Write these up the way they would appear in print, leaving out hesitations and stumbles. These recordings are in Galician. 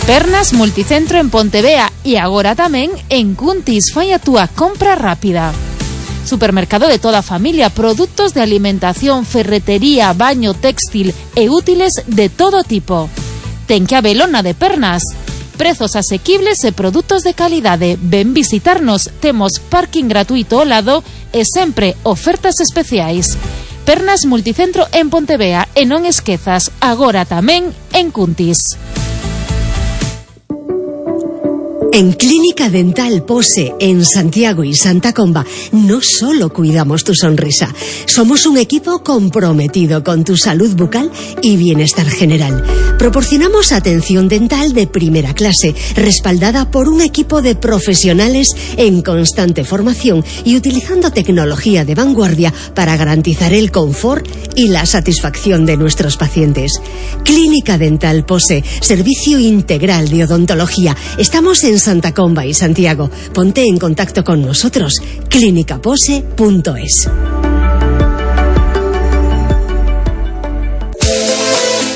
Pernas Multicentro en Pontevea e agora tamén en Cuntis. Fai a túa compra rápida. Supermercado de toda a familia, produtos de alimentación, ferretería, baño, textil e útiles de todo tipo. Ten que habelo na de Pernas. Prezos asequibles e produtos de calidade. Ven visitarnos, temos parking gratuito ao lado e sempre ofertas especiais. Pernas Multicentro en Pontevea e non esquezas, agora tamén en Cuntis. En Clínica Dental Pose, en Santiago y Santa Comba, no solo cuidamos tu sonrisa, somos un equipo comprometido con tu salud bucal y bienestar general. Proporcionamos atención dental de primera clase, respaldada por un equipo de profesionales en constante formación y utilizando tecnología de vanguardia para garantizar el confort y la satisfacción de nuestros pacientes. Clínica Dental Pose, servicio integral de odontología. Estamos en Santa Comba y Santiago. Ponte en contacto con nosotros. clinicapose.es.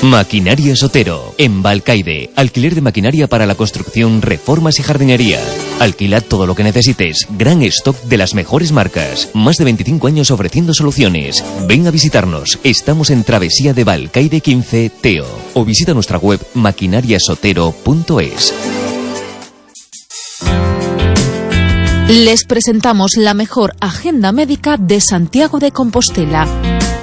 Maquinaria Sotero, en Balcaide. Alquiler de maquinaria para la construcción, reformas y jardinería. Alquila todo lo que necesites. Gran stock de las mejores marcas. Más de 25 años ofreciendo soluciones. Ven a visitarnos. Estamos en Travesía de Balcaide 15, Teo. O visita nuestra web maquinariasotero.es. Les presentamos la mejor agenda médica de Santiago de Compostela.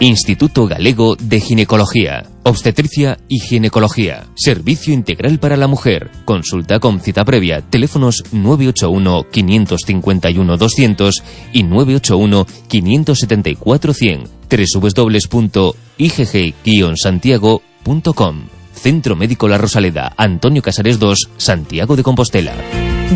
Instituto Galego de Ginecología, Obstetricia y Ginecología. Servicio integral para la mujer. Consulta con cita previa. Teléfonos 981-551-200 y 981-574-100. www.igg-santiago.com. Centro Médico La Rosaleda, Antonio Casares 2, Santiago de Compostela.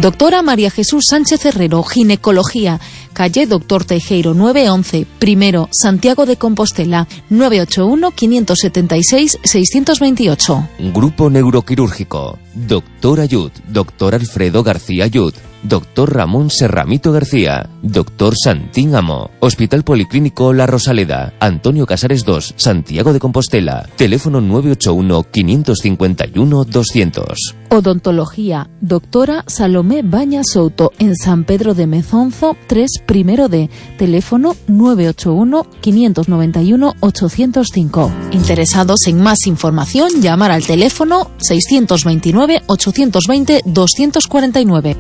Doctora María Jesús Sánchez Herrero, Ginecología, calle Doctor Teijeiro 911, primero, Santiago de Compostela, 981-576-628. Grupo Neuroquirúrgico, Doctor Ayud, Doctor Alfredo García Ayud, Doctor Ramón Serramito García, Doctor Santín Amo, Hospital Policlínico La Rosaleda, Antonio Casares 2, Santiago de Compostela, teléfono 981-551-200. Odontología, doctora Salomé Baña Souto, en San Pedro de Mezonzo 3, primero D, teléfono 981-591-805. Interesados en más información, llamar al teléfono 629-820-249.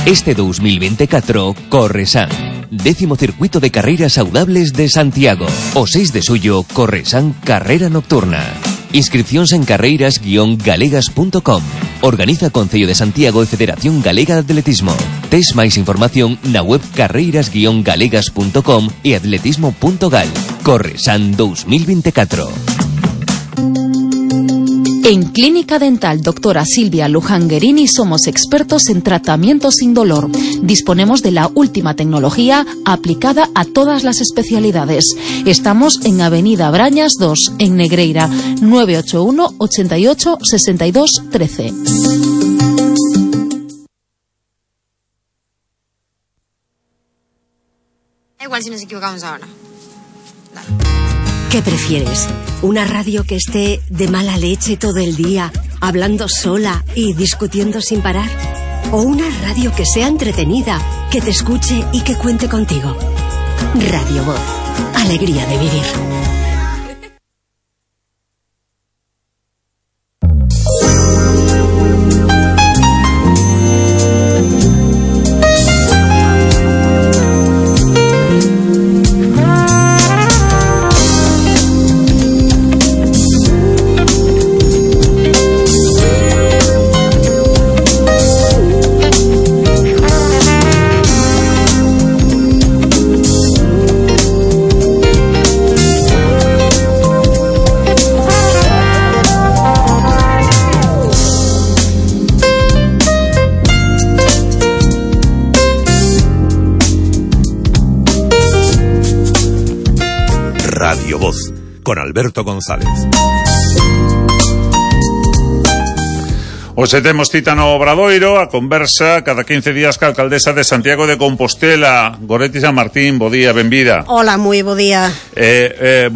Este 2024, Corresan. 10º circuito de carreras saudables de Santiago. O 6 de suyo, Corresan Carrera Nocturna. Inscripcións en carreiras-galegas.com. Organiza Concello de Santiago e Federación Galega de Atletismo. Tes máis información na web carreiras-galegas.com e atletismo.gal. Corresan 2024. En Clínica Dental Doctora Silvia Luján Guerini somos expertos en tratamientos sin dolor. Disponemos de la última tecnología aplicada a todas las especialidades. Estamos en Avenida Brañas 2, en Negreira, 981 88 62 13. Igual si nos equivocamos ahora. Dale. ¿Qué prefieres? ¿Una radio que esté de mala leche todo el día, hablando sola y discutiendo sin parar? ¿O una radio que sea entretenida, que te escuche y que cuente contigo? Radio Voz. Alegría de vivir. Radio Voz, con Alberto González. Hoxe temos cita no Obradoiro, a conversa cada 15 días ca alcaldesa de Santiago de Compostela, Goretti San Martín. Bo día, benvida. Hola, moi bo día.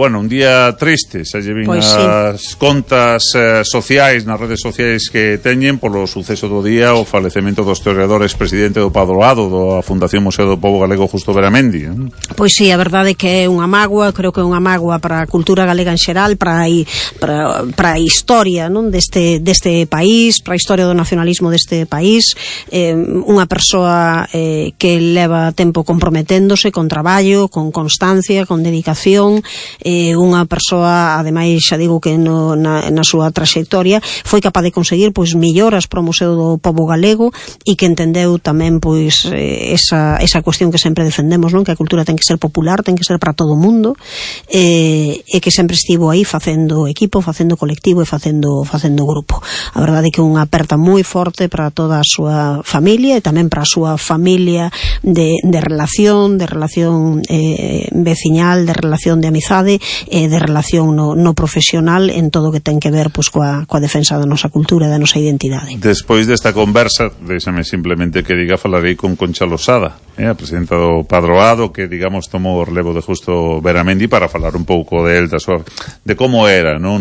Bueno, un día triste, se llevin Pois as contas sociais, nas redes sociais que teñen polo suceso do día, o falecemento do historiador expresidente do Padroado, da Fundación Museo do Pobo Galego, Justo Beramendi. Pois sí, a verdade é que é unha mágoa, creo que é unha mágoa para a cultura galega en xeral, para a historia, non, deste país, para a historia do nacionalismo deste país, unha persoa que leva tempo comprometéndose con traballo, con constancia, con dedicación, unha persoa, ademais, xa digo que na súa traxectoria foi capaz de conseguir pois melloras para o Museo do Pobo Galego e que entendeu tamén pois esa cuestión que sempre defendemos, non, que a cultura ten que ser popular, ten que ser para todo o mundo, e que sempre estivo aí facendo equipo, facendo colectivo e facendo grupo. A verdade é que unha aperta moi forte para toda a súa familia e tamén para a súa familia de relación veciñal, de relación de amizade e de relación no profesional en todo o que ten que ver pois coa defensa da nosa cultura e da nosa identidade. Despois desta conversa, déxame simplemente que diga, falarei con Concha Losada, a presidenta do Padroado, que digamos tomou o relevo de Justo Beramendi para falar un pouco de él, de como era, no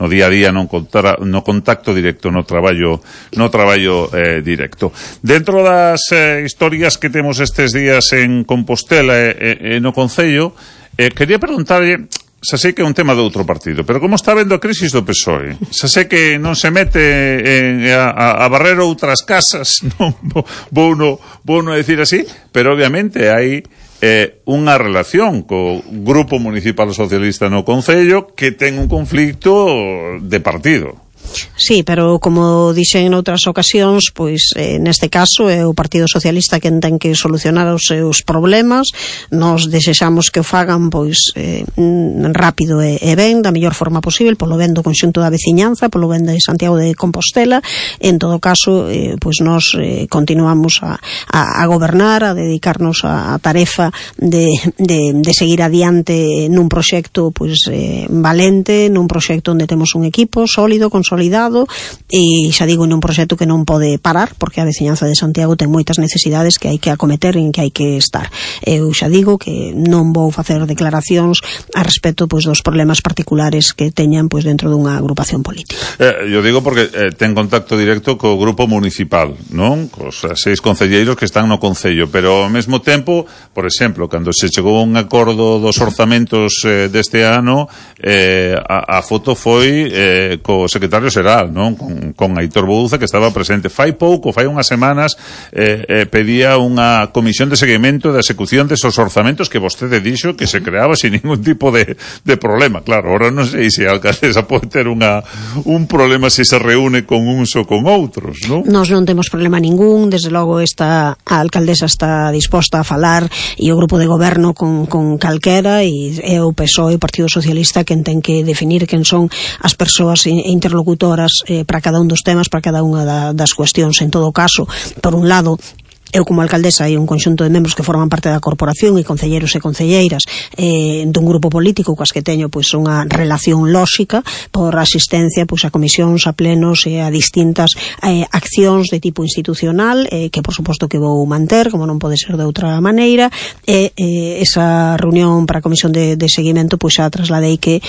día a día, no contacto directo, no traballo directo. Dentro das historias que temos estes días en Compostela e no Concello, quería preguntarlle, xa sei que é un tema de outro partido, pero como está vendo a crisis do PSOE? Xa sei que non se mete a barrer outras casas, non vou no decir así, pero obviamente hai unha relación co Grupo Municipal Socialista no Concello que ten un conflicto de partido. Sí, pero como dixen en outras ocasións, pois neste caso é o Partido Socialista quen ten que solucionar os seus problemas. Nos desexamos que o fagan pois rápido e ben, da mellor forma posible, polo ben do conxunto da veciñanza, polo ben de Santiago de Compostela. En todo caso, pois nos continuamos a gobernar, a dedicarnos á tarefa de seguir adiante nun proxecto pois valente, nun proxecto onde temos un equipo sólido, consolidado, e xa digo, nun proxecto que non pode parar, porque a veciñanza de Santiago ten moitas necesidades que hai que acometer e en que hai que estar. Eu xa digo que non vou facer declaracións a respecto pois dos problemas particulares que teñan pois dentro dunha agrupación política. Eu digo porque ten contacto directo co grupo municipal, non? Cos 6 concelleiros que están no Concello, pero ao mesmo tempo, por exemplo, cando se chegou a un acordo dos orzamentos deste ano, a foto foi co secretario xeral, non? Con Aitor Bouza, que estaba presente. Fai unhas semanas, pedía unha comisión de seguimento da execución desos orzamentos que vostede dixo que se creaba sin ningún tipo de problema. Claro, ahora non sei se a alcaldesa pode ter un problema se se reúne con uns ou con outros, non? Nós non temos problema ningún, desde logo a alcaldesa está disposta a falar e o grupo de goberno con calquera, e é o PSOE, o Partido Socialista, quen ten que definir quen son as persoas interlocutoras para cada un dos temas, para cada unha das cuestións. En todo caso, por un lado, eu como alcaldesa e un conxunto de membros que forman parte da corporación e concelleiros e concelleiras dun grupo político coas que teño pois unha relación lóxica por asistencia pois a comisións, a plenos e a distintas accións de tipo institucional que por suposto que vou manter, como non pode ser de outra maneira, esa reunión para a comisión de seguimento pois xa trasladei que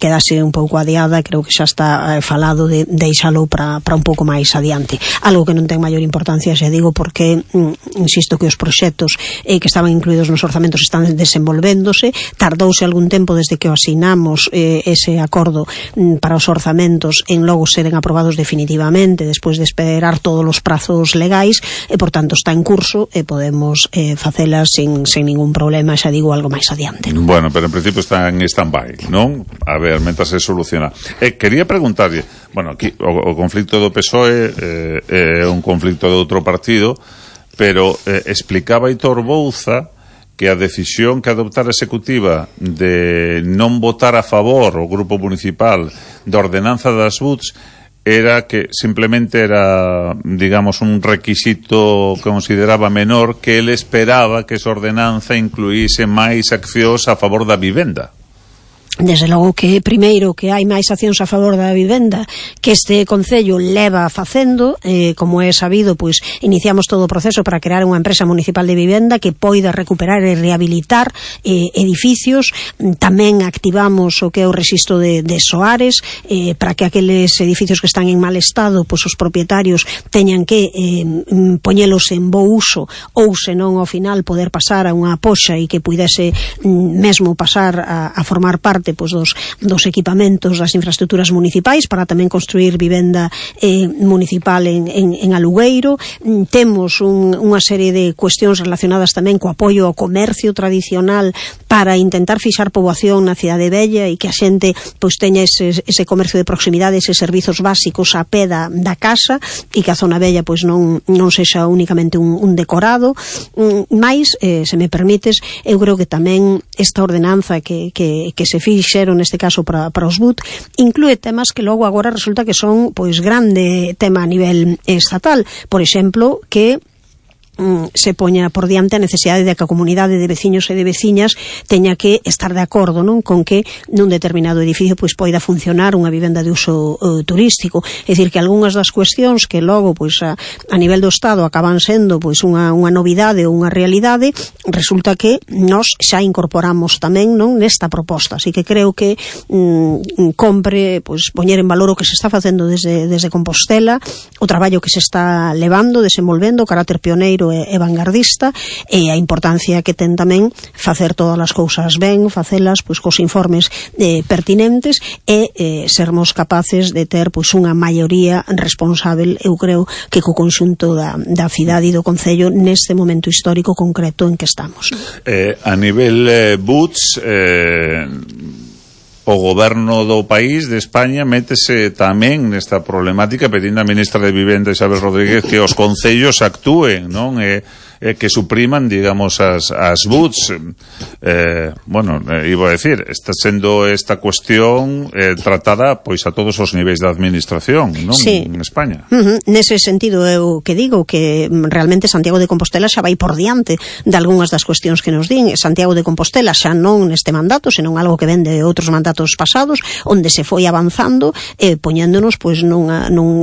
quedase un pouco adiada, creo que xa está falado de deixalo para un pouco máis adiante, algo que non ten maior importancia, xa digo, porque insisto que os proxectos que estaban incluídos nos orzamentos están desenvolvéndose. Tardouse algún tempo desde que o asinamos ese acordo para os orzamentos en logo seren aprobados definitivamente despois de esperar todos os prazos legais e por tanto está en curso e podemos facelas sin ningún problema, xa digo, algo máis adiante, non? Bueno, pero en principio está en stand-by, non? A ver, mentras se soluciona. Quería preguntarlle, bueno, aquí o conflicto do PSOE é un conflicto de outro partido, pero explicaba Aitor Bouza que a decisión que adoptara a executiva de non votar a favor o grupo municipal da ordenanza das BUTs era que simplemente era, digamos, un requisito que consideraba menor, que ele esperaba que esa ordenanza incluíse máis accións a favor da vivenda. desde logo que primeiro que hai máis accións a favor da vivenda que este Concello leva facendo, como é sabido, pois iniciamos todo o proceso para crear unha empresa municipal de vivenda que poida recuperar e rehabilitar edificios. Tamén activamos o que é o rexistro de soares, para que aqueles edificios que están en mal estado, pois os propietarios teñan que poñelos en bo uso, ou senón ao final poder pasar a unha poxa e que pudese mesmo pasar a formar parte pois dos equipamentos das infraestructuras municipais para tamén construir vivenda municipal en alugueiro. Temos unha serie de cuestións relacionadas tamén co apoio ao comercio tradicional para intentar fixar poboación na cidade vella e que a xente pois teña ese comercio de proximidade, eses servizos básicos a pé da casa e que a zona vella pois non sexa únicamente un decorado. Mais, se me permites, eu creo que tamén esta ordenanza que se fixeron neste caso para os BUT inclúe temas que logo agora resulta que son pois grande tema a nivel estatal, por exemplo, que se poña por diante a necesidade de que a comunidade de veciños e de veciñas teña que estar de acordo, non, con que nun determinado edificio pois poida funcionar unha vivenda de uso turístico. É dicir, que algunhas das cuestións que logo pois a nivel do Estado acaban sendo pois unha novidade ou unha realidade, resulta que nós xa incorporamos tamén, non, nesta proposta. Así que creo que compre pois poñer en valor o que se está facendo desde Compostela, o traballo que se está levando, desenvolvendo, o carácter pioneiro e vanguardista, e a importancia que ten tamén facer todas as cousas ben, facelas pois cos informes pertinentes e sermos capaces de ter pois unha maioría responsável, eu creo que co conxunto da cidade e do Concello neste momento histórico concreto en que estamos. A nivel BUTS, o goberno do país, de España, métese tamén nesta problemática pedindo a ministra de Vivenda, Isabel Rodríguez, que os concellos actúen, non? Que supriman, digamos, as BUTS. Iba a decir, está sendo esta cuestión tratada pois a todos os niveis da administración, non? Sí. En España. Nese sentido, eu que digo que realmente Santiago de Compostela xa vai por diante de algunhas das cuestións que nos din. Santiago de Compostela xa non neste mandato, senón algo que ven de outros mandatos pasados, onde se foi avanzando, poñéndonos pois nun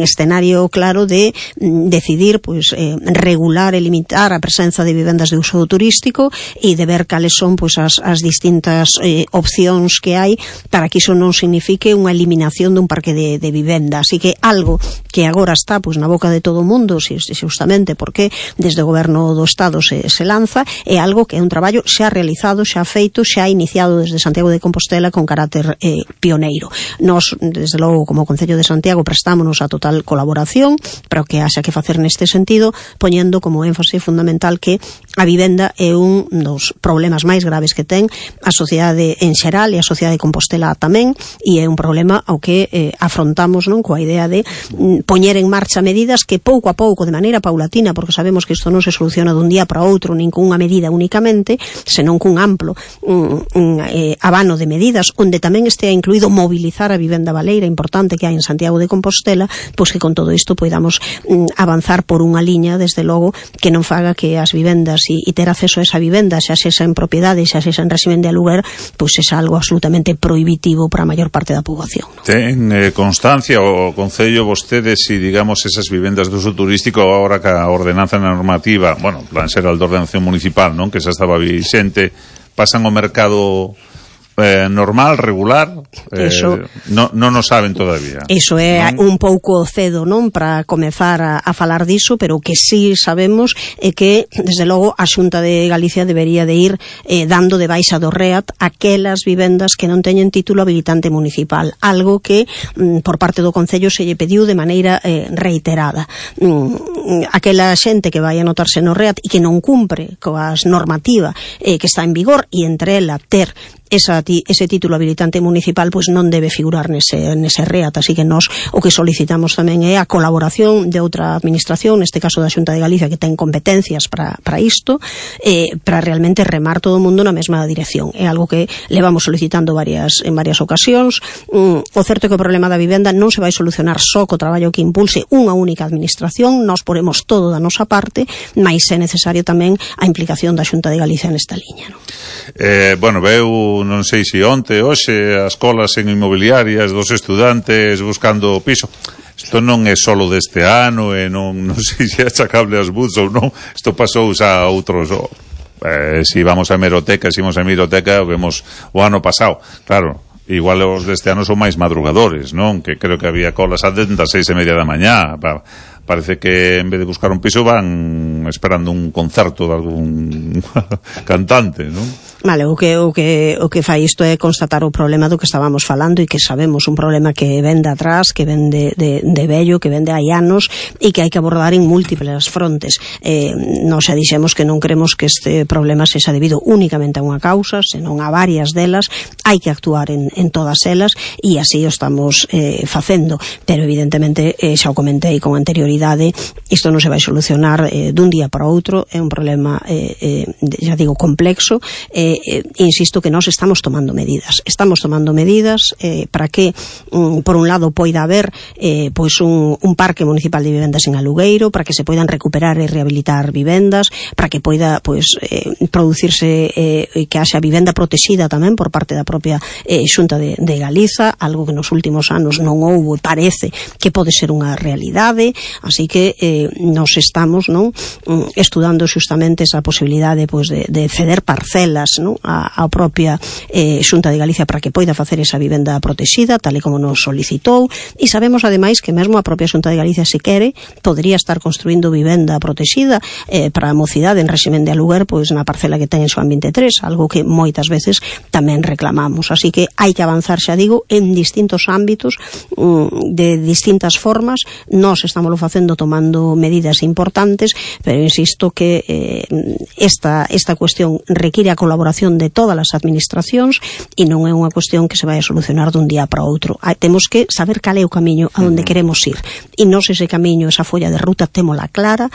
escenario claro de decidir pois regular e limitar a presenza de vivendas de uso turístico e de ver cales son pois as distintas opcións que hai para que iso non signifique unha eliminación dun parque de vivenda. Así que algo que agora está pois na boca de todo o mundo, justamente porque desde o goberno do Estado se lanza, é algo que é un traballo xa realizado, xa feito, xa iniciado desde Santiago de Compostela con carácter pioneiro. Nos, desde logo, como Concello de Santiago, prestámonos a total colaboración para o que haxa que facer neste sentido, poñendo como énfase fundamental que a vivenda é un dos problemas máis graves que ten a sociedade en xeral e a sociedade de Compostela tamén, e é un problema ao que afrontamos, non, coa idea de poñer en marcha medidas que pouco a pouco, de maneira paulatina, porque sabemos que isto non se soluciona dun día para outro, nin cunha medida únicamente, senón cun amplo abano de medidas, onde tamén estea incluído mobilizar a vivenda baleira importante que hai en Santiago de Compostela, pois que con todo isto podamos avanzar por unha liña, desde logo, que non faga que as vivendas e ter acceso a esa vivenda, xa sexa en propiedade, xa sexa en régimen de aluguer, pois é algo absolutamente prohibitivo para a maior parte da poboación, ¿no? Ten constancia o Concello vostedes si, digamos, esas vivendas de uso turístico agora que a ordenanza normativa, plan xeral de ordenación municipal, non, que xa estaba vixente, pasan ao mercado normal, regular, non o saben todavía. Iso é un pouco cedo, non, para comezar a falar diso, pero o que sí sabemos é que, desde logo, a Xunta de Galicia debería de ir dando de baixa do REAT aquelas vivendas que non teñen título habilitante municipal, algo que por parte do Concello se lle pediu de maneira reiterada. Aquela xente que vai anotarse no REAT e que non cumpre coas normativa que está en vigor, e entre ela ter ese título habilitante municipal, pois non debe figurar nese REAT. Así que nós o que solicitamos tamén é a colaboración de outra administración, neste caso da Xunta de Galicia, que ten competencias para isto, para realmente remar todo o mundo na mesma dirección. É algo que levamos solicitando en varias ocasións. O certo é que o problema da vivenda non se vai solucionar só co traballo que impulse unha única administración. Nós poremos todo da nosa parte, mas é necesario tamén a implicación da Xunta de Galicia nesta liña, non? Veu non sei se onte, hoxe, as colas en inmobiliarias dos estudantes buscando piso. Isto non é solo deste ano e non sei se é achacable ás boots ou non. Isto pasou xa a outros... si vamos a hemeroteca, vemos o ano pasado. Claro, igual os deste ano son máis madrugadores, non? Que creo que había colas ante as 6:30 da mañá. Parece que en vez de buscar un piso van esperando un concerto de algún cantante, non? Vale, o que fai isto é constatar o problema do que estábamos falando e que sabemos un problema que ven de atrás, que ven de vello, que ven de hai anos e que hai que abordar en múltiples frontes. Nos xa dixemos que non queremos que este problema sexa debido únicamente a unha causa, senón a varias delas. Hai que actuar en todas elas e así o estamos facendo, pero evidentemente xa o comentei con anterioridade, isto non se vai solucionar dun día para outro, é un problema xa digo complexo. Insisto que nós estamos tomando medidas para que por un lado poida haber pois un parque municipal de vivendas en alugueiro, para que se poidan recuperar e rehabilitar vivendas, para que poida pois producirse que haxa vivenda protexida tamén por parte da propia Xunta de Galiza, algo que nos últimos anos non houbo e parece que pode ser unha realidade. Así que nos estamos estudando xustamente esa posibilidade pois de ceder parcelas a propia Xunta de Galicia para que poida facer esa vivenda protexida tal e como nos solicitou, e sabemos ademais que mesmo a propia Xunta de Galicia, se quere, podría estar construindo vivenda protexida para a mocidade en réximen de aluguer pois na parcela que ten en Xoán 23, algo que moitas veces tamén reclamamos. Así que hai que avanzar, xa digo, en distintos ámbitos, de distintas formas. Nós estamos facendo tomando medidas importantes, pero insisto que esta cuestión require a colaboración de todas as administracións e non é unha cuestión que se vai a solucionar dun día para outro. Temos que saber cal é o camiño a onde queremos ir, e nós ese camiño, esa folla de ruta témola clara,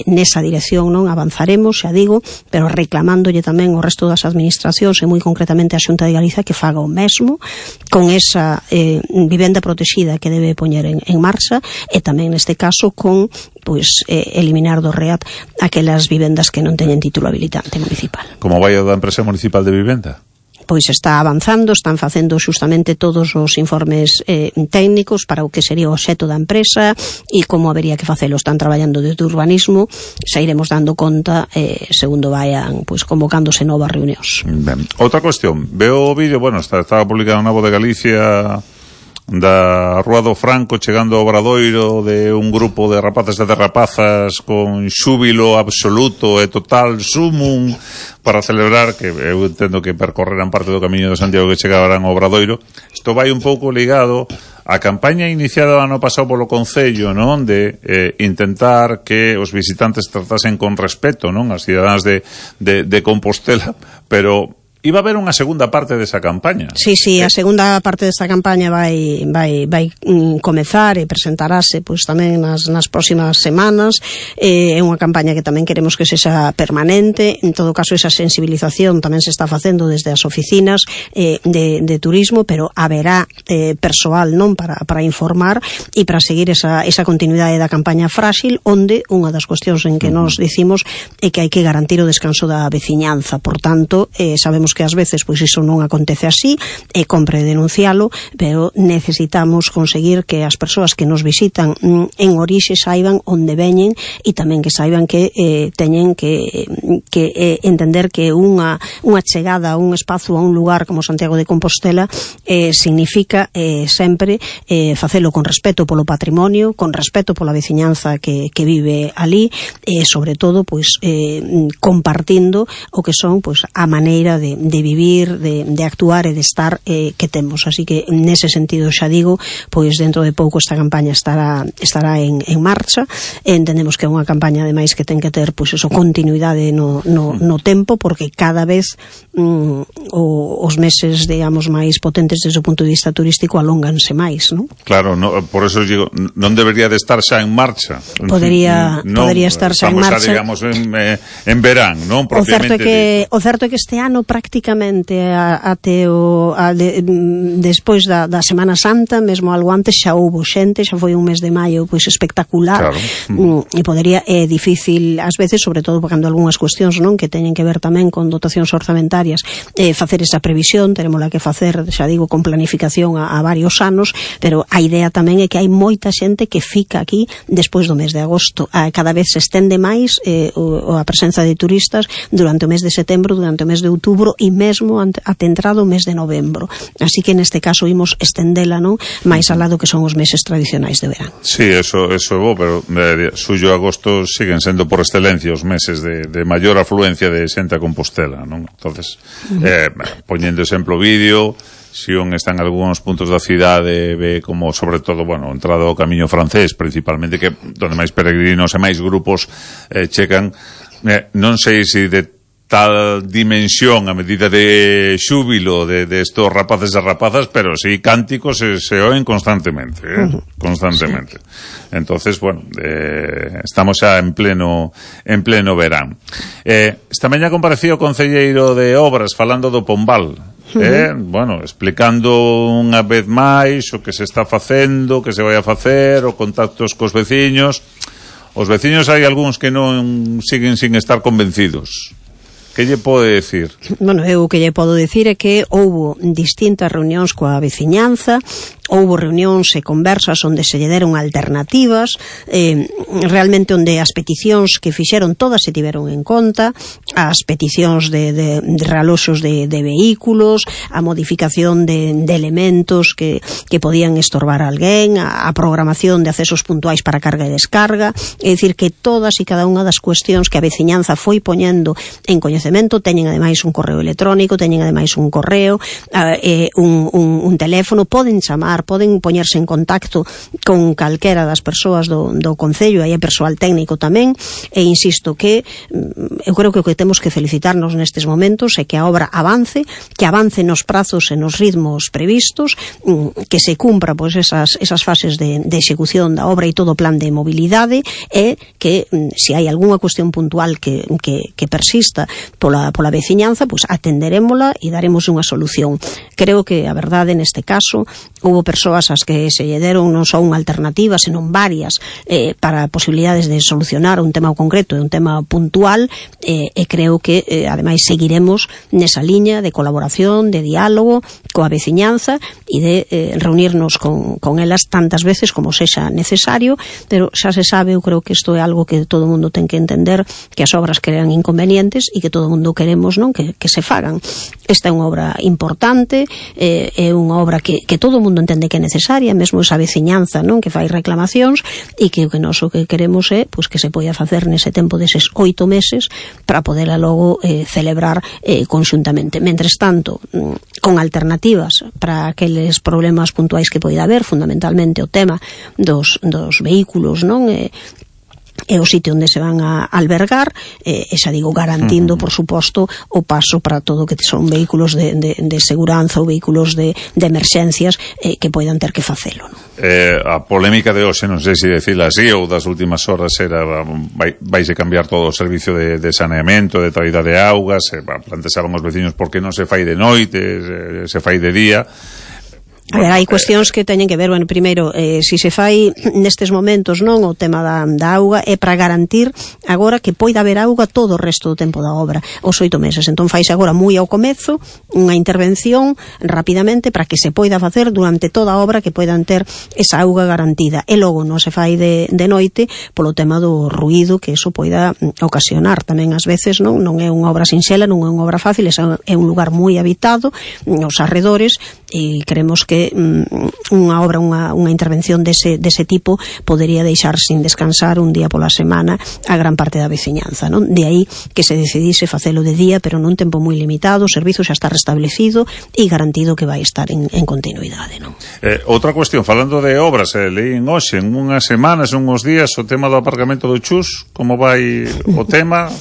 nesa dirección non avanzaremos, xa digo, pero reclamándolle tamén ao resto das administracións e moi concretamente a Xunta de Galiza que faga o mesmo con esa vivenda protexida que debe poñer en marcha, e tamén neste caso con pois eliminar do REAT aquelas vivendas que non teñen título habilitante municipal. Como vai o da empresa municipal de vivenda? Pois está avanzando, están facendo xustamente todos os informes técnicos para o que sería o obxecto da empresa e como habería que facelo. Están traballando desde urbanismo, xa iremos dando conta segundo vayan pois convocándose novas reunións. Ben. Outra cuestión, veo o vídeo, estaba publicado na Voz de Galicia da Rúa do Franco chegando ao Obradoiro, de un grupo de rapaces e de rapazas con xúbilo absoluto e total sumum para celebrar, que eu entendo que percorreran parte do camiño de Santiago que chegaran ao Obradoiro. Isto vai un pouco ligado á campaña iniciada o ano pasado polo Concello, non? De intentar que os visitantes tratasen con respeto, non? As cidadáns de Compostela, pero iba a haber unha segunda parte desa campaña. Sí, a segunda parte desta campaña vai comezar e presentarase pois tamén nas próximas semanas. É unha campaña que tamén queremos que sexa permanente. En todo caso, esa sensibilización tamén se está facendo desde as oficinas de turismo, pero haberá persoal non para informar e para seguir esa continuidade da campaña frágil, onde unha das cuestións en que nos dicimos é que hai que garantir o descanso da veciñanza. Por tanto, sabemos que ás veces pois iso non acontece así, e compre denuncialo, pero necesitamos conseguir que as persoas que nos visitan en orixe saiban onde veñen e tamén que saiban que teñen que entender que unha chegada a un espazo, a un lugar como Santiago de Compostela significa sempre facelo con respeto polo patrimonio, con respeto pola veciñanza que vive ali, e sobre todo pois compartindo o que son pois a maneira de vivir, de actuar e de estar que temos. Así que nese sentido, xa digo, pois dentro de pouco esta campaña estará en marcha. Entendemos que é unha campaña ademais que ten que ter pois eso, continuidade no tempo, porque cada vez os meses, digamos, máis potentes desde o punto de vista turístico alónganse máis, non? Claro, por eso digo, non debería de estar xa en marcha. Podría estar xa en marcha. Estamos xa, digamos, en verán, non? O certo é que este ano prácticamente prácticamente despois da Semana Santa, mesmo algo antes xa houbo xente, xa foi un mes de maio pois espectacular, e é difícil ás veces, sobre todo cando algunhas cuestións non que teñen que ver tamén con dotacións orzamentarias, facer esa previsión, terémola que facer, xa digo, con planificación a varios anos, pero a idea tamén é que hai moita xente que fica aquí despois do mes de agosto. Cada vez se estende máis a presenza de turistas durante o mes de setembro, durante o mes de outubro e mesmo até entrado o mes de novembro. Así que neste caso imos estendela, non, máis al lado que son os meses tradicionais de verán. Sí, eso é bo, pero suyo agosto siguen sendo por excelencia os meses de maior afluencia de xente a Compostela, non? Entonces, poñendo exemplo vídeo, Sion está en algúns puntos da cidade, ve como, sobre todo, bueno, entrado ao camiño francés, principalmente, que donde máis peregrinos e máis grupos checan, non sei se de tal dimensión a medida de xúbilo de estos rapaces e rapazas, pero sí cánticos se oen constantemente, constantemente. Sí. Entonces, bueno, estamos xa en pleno verán. Esta mañá comparecía o concelleiro de Obras falando do Pombal, bueno, explicando unha vez máis o que se está facendo, o que se vai a facer, o contactos cos veciños. Os veciños hai algúns que non siguen sin estar convencidos. Que lle pode decir? Bueno, eu o que lle podo decir é que houbo distintas reunións coa veciñanza, houbo reunións e conversas onde se lle deron alternativas, realmente onde as peticións que fixeron todas se tiveron en conta, as peticións de realoxos de vehículos, a modificación de elementos que podían estorbar a alguén, a programación de accesos puntuais para carga e descarga, é dicir que todas e cada unha das cuestións que a veciñanza foi poñendo en coñecemento, teñen ademais un correo electrónico, teñen ademais un correo, un teléfono, poden chamar, poden poñerse en contacto con calquera das persoas do Concello, aí é persoal técnico tamén, e insisto que eu creo que o que temos que felicitarnos nestes momentos é que a obra avance, que avance nos prazos e nos ritmos previstos, que se cumpra pois esas fases de execución da obra e todo o plan de mobilidade, e que se hai algunha cuestión puntual que persista pola veciñanza, pois atenderémola e daremos unha solución. Creo que a verdade neste caso houve persoas ás que se lle deron non só unha alternativa, senón varias para posibilidades de solucionar un tema concreto e un tema puntual, e creo que ademais seguiremos nesa liña de colaboración, de diálogo coa veciñanza e de reunirnos con elas tantas veces como sexa necesario, pero xa se sabe, eu creo que isto é algo que todo o mundo ten que entender, que as obras crean inconvenientes e que todo o mundo queremos, non, que se fagan. Esta é unha obra importante, é unha obra que todo o mundo entende que é necesaria, mesmo esa veciñanza, non, que fai reclamacións, e que o que nós o que queremos é pois que se poida facer nese tempo deses 8 meses para poderla logo celebrar conxuntamente. Mentres tanto, con alternativas para aqueles problemas puntuais que poida haber, fundamentalmente o tema dos vehículos, non, é o sitio onde se van a albergar, e xa digo, garantindo, por suposto, o paso para todo o que son vehículos de seguranza ou vehículos de emerxencias que poidan ter que facelo, non? A polémica de hoxe, non sei se decirla así, ou das últimas horas era vaise cambiar todo o servicio de saneamento, de traída de augas, plantexaban os veciños por que non se fai de noite, se fai de día. A ver, hai cuestións que teñen que ver, bueno, primeiro, se se fai nestes momentos, non, o tema da auga é para garantir agora que poida haber auga todo o resto do tempo da obra, os 8 meses. Entón faise agora moi ao comezo unha intervención rapidamente para que se poida facer durante toda a obra, que poidan ter esa auga garantida, e logo non se fai de noite polo tema do ruído que eso poida ocasionar tamén ás veces, non é unha obra sinxela, non é unha obra fácil, é un lugar moi habitado nos arredores, e creemos que unha obra, unha intervención dese tipo podería deixar sin descansar un día pola semana a gran parte da veciñanza, non? De aí que se decidise facelo de día, pero nun tempo moi limitado, o servizo xa está restablecido e garantido que vai estar en continuidade, non? Outra cuestión, falando de obras, leín hoxe, en unhas semanas, unhos días, o tema do aparcamento do Chus, como vai o tema?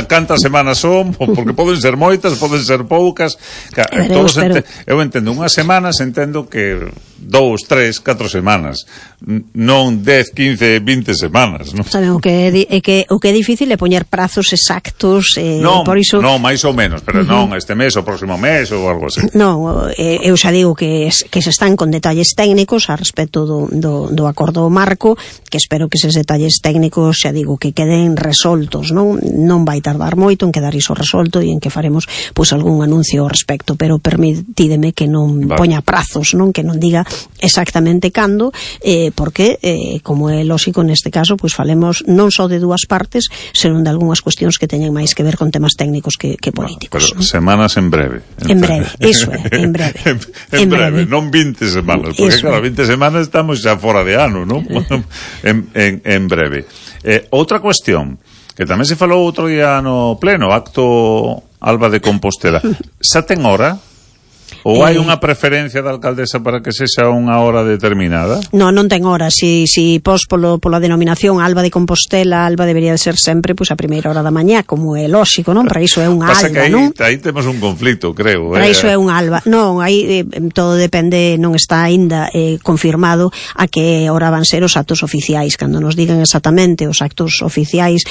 Cantas semanas son? Porque poden ser moitas, poden ser poucas. Eu entendo unhas semanas, entendo que 2, 3, 4 semanas, non 10, 15, 20 semanas, non? Saben, o que é difícil é poñer prazos exactos, por iso... Non, máis ou menos, pero non este mes, o próximo mes ou algo así. Non, eu xa digo que se están con detalles técnicos a respecto do acordo marco, que espero que eses detalles técnicos, xa digo, que queden resoltos, non vai tardar moito en quedar iso resolto e en que faremos pois algún anuncio ao respecto, pero permitídeme que non poña prazos, non, que non diga exactamente cando, porque como é lógico neste caso, pois falemos non só de dúas partes, senón de algunhas cuestións que teñen máis que ver con temas técnicos que políticos. Pero semanas en breve. En breve, iso é, en breve. en breve, non 20 semanas, porque claro, 20 semanas estamos xa fora de ano, non? en breve. Outra cuestión, que tamén se falou outro día no pleno, acto Alba de Compostela. Xa ten hora? Ou hai unha preferencia da alcaldesa para que sexa unha hora determinada? Non ten hora. Si pos pola denominación Alba de Compostela, Alba debería de ser sempre pois a primeira hora da mañá, como é lógico, non? Para iso é unha Alba, que non? Aí temos un conflicto, creo. Para iso é unha Alba. Non, aí todo depende, non está aínda confirmado a que hora van ser os actos oficiais. Cando nos digan exactamente os actos oficiais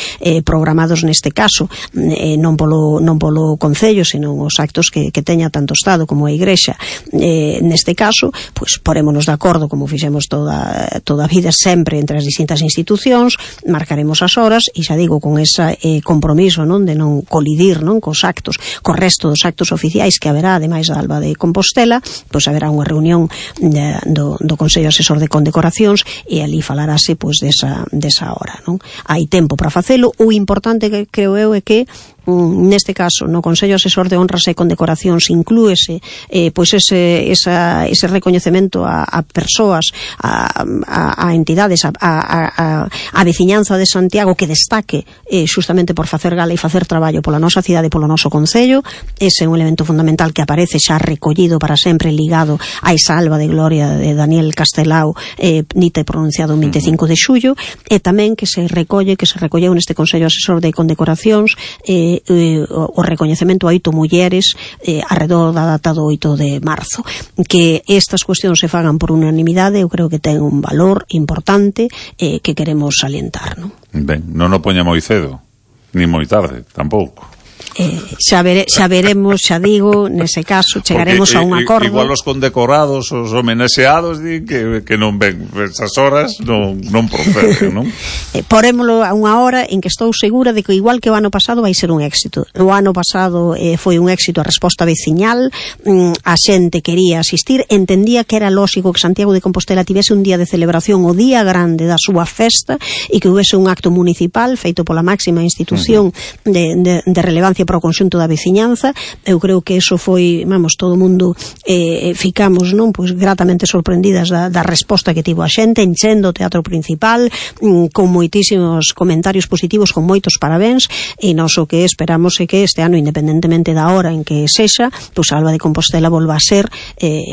programados neste caso, non polo Concello, senón os actos que teña tanto o Estado como a Igrexa, neste caso, pois porémonos de acordo, como fixemos toda a vida sempre entre as distintas institucións, marcaremos as horas e xa digo, con ese compromiso, non, de non colidir, non, cos resto dos actos oficiais que haberá, ademais da Alba de Compostela, pois haberá unha reunión do Consello Asesor de Condecoracións e ali falarase pois desa hora, non? Hai tempo para facelo. O importante que creo eu é que neste caso no Consello Asesor de Honras e Condecoracións inclúese pois ese recoñecemento a persoas, a entidades, a veciñanza de Santiago que destaque justamente por facer gala e facer traballo pola nosa cidade e polo noso Concello. Ese é un elemento fundamental que aparece xa recollido para sempre ligado a esa Alba de Gloria de Daniel Castelao, dita e pronunciado o 25 de xullo, e tamén que se recolleu neste Consello Asesor de Condecoracións o recoñecemento a 8 mulleres arredor da data do 8 de marzo. Que estas cuestións se fagan por unanimidade, eu creo que ten un valor importante que queremos salientar, non? Ben, non o poña moi cedo, ni moi tarde, tampouco. Xa veremos, xa digo, nese caso chegaremos a un acordo. Igual os condecorados, os homenaxeados din que non ven esas horas, non proceden, non? Porémolo a unha hora en que estou segura de que igual que o ano pasado vai ser un éxito. O ano pasado foi un éxito a resposta veciñal, a xente quería asistir, entendía que era lógico que Santiago de Compostela tivese un día de celebración, o día grande da súa festa, e que houvese un acto municipal feito pola máxima institución de relevancia para o conxunto da veciñanza. Eu creo que eso foi, todo o mundo ficamos, non, pois gratamente sorprendidas da resposta que tivo a xente, enchendo o teatro principal, con moitísimos comentarios positivos, con moitos parabéns, e nós o que esperamos é que este ano, independentemente da hora en que sexa, pois a Alba de Compostela volva a ser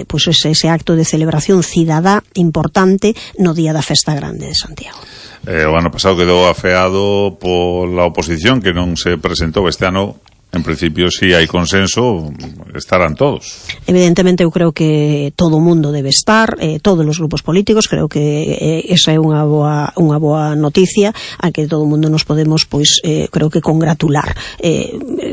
pois ese acto de celebración cidadá importante no día da festa grande de Santiago. O ano pasado quedou afeado pola oposición, que non se presentou. Este ano, en principio, si hai consenso, estarán todos. Evidentemente, eu creo que todo o mundo debe estar, todos os grupos políticos. Creo que esa é unha boa noticia a que todo o mundo nos podemos, pois, creo que congratular.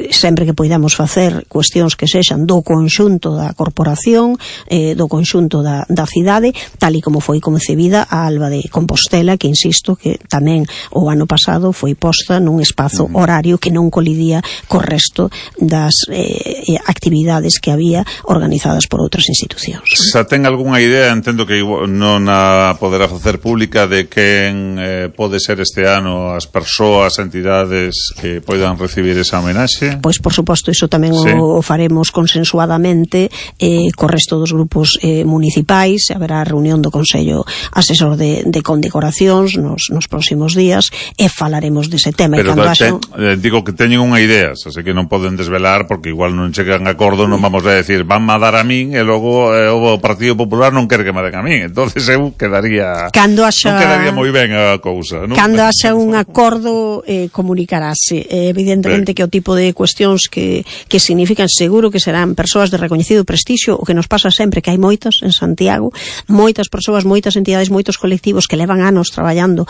Sempre que poidamos facer cuestións que sexan do conxunto da corporación, do conxunto da cidade, tal e como foi concebida a Alba de Compostela, que insisto que tamén o ano pasado foi posta nun espazo horario que non colidía co resto das actividades que había organizadas por outras institucións. Xa ten algunha idea, entendo que non a poderá facer pública, de quen pode ser este ano as persoas, entidades que poidan recibir esa homenaxe? Pois, por suposto, iso tamén o faremos consensuadamente co resto dos grupos municipais. Haberá reunión do Consello Asesor de Condecoracións nos próximos días e falaremos dese tema. Pero digo que teñen unha idea, así que non poden desvelar porque igual non chegan a acordo, non vamos a decir van a dar a min e logo o Partido Popular non quere que me den a min, entonces eu quedaría non quedaría moi ben a cousa, non? Cando haxa un acordo comunicarase, evidentemente que o tipo de cuestións que significan, seguro que serán persoas de recoñecido prestixio, o que nos pasa sempre que hai moitas en Santiago, moitas persoas, moitas entidades, moitos colectivos que levan anos traballando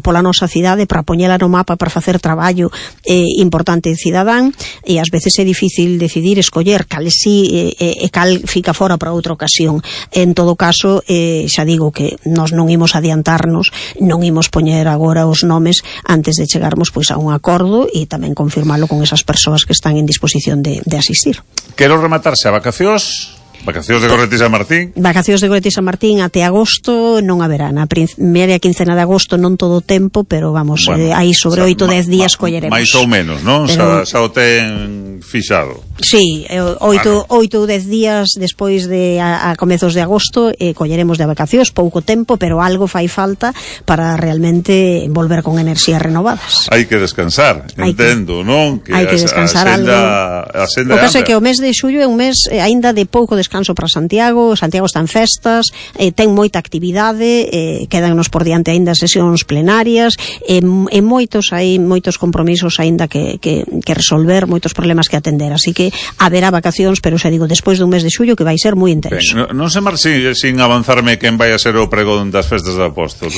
pola nosa cidade para poñela no mapa, para facer traballo importante cidadán, e ás veces é difícil decidir, escoller cal sí e cal fica fora para outra ocasión. En todo caso, xa digo que nós non imos adiantarnos, non imos poñer agora os nomes antes de chegarmos pois a un acordo e tamén confirmalo con esas persoas que están en disposición de asistir. Quero rematarse a vacacións de Gorreti San Martín. Vacacións de Gorreti San Martín até agosto non haberá. Na primeira quincena de agosto non todo o tempo, pero vamos, aí sobre 8 ou 10 días colleremos. Mais ou menos, non? Pero xa o ten fixado. Sí, 8 ou 10 días despois de a comezos de agosto colleremos de vacacións, pouco tempo, pero algo fai falta para realmente volver con enerxías renovadas. Hai que descansar, entendo, non? Hai que descansar algo. O caso é que o mes de xullo é un mes aínda de pouco descanso para Santiago está en festas, ten moita actividade, quedannos por diante aínda sesións plenarias, hai moitos compromisos aínda que resolver, moitos problemas que atender, así que haberá vacacións, pero xa digo, despois dun mes de xullo que vai ser moi intenso. Non se marche sin avanzarme quen vai a ser o pregón das festas de Apóstol.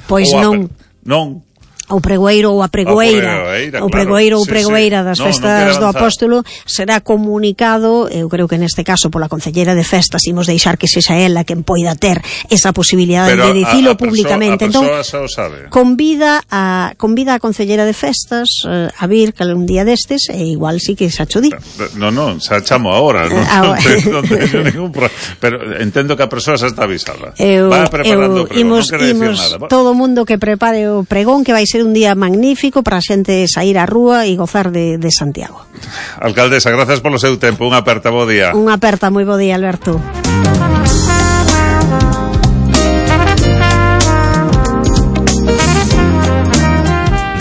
Pois non. O pregoeiro ou a pregoeira das festas do Apóstolo será comunicado, eu creo que neste caso pola Concelleira de Festas, imos deixar que sexa ela quen poida ter esa posibilidade de dicilo públicamente. Entón, convida a Concelleira de Festas a vir un día destes e igual sí que xa cho di. Non, xa chamo agora, non teño ningún problema, pero entendo que a persoa xa está avisada. Va preparando o pregón, non quere dicir nada. Todo o mundo que prepare o pregón, que vai ser un día magnífico para a xente sair á rúa e gozar de Santiago. Alcaldesa, gracias polo seu tempo. Unha aperta, bo día. Unha aperta, moi bo día, Alberto.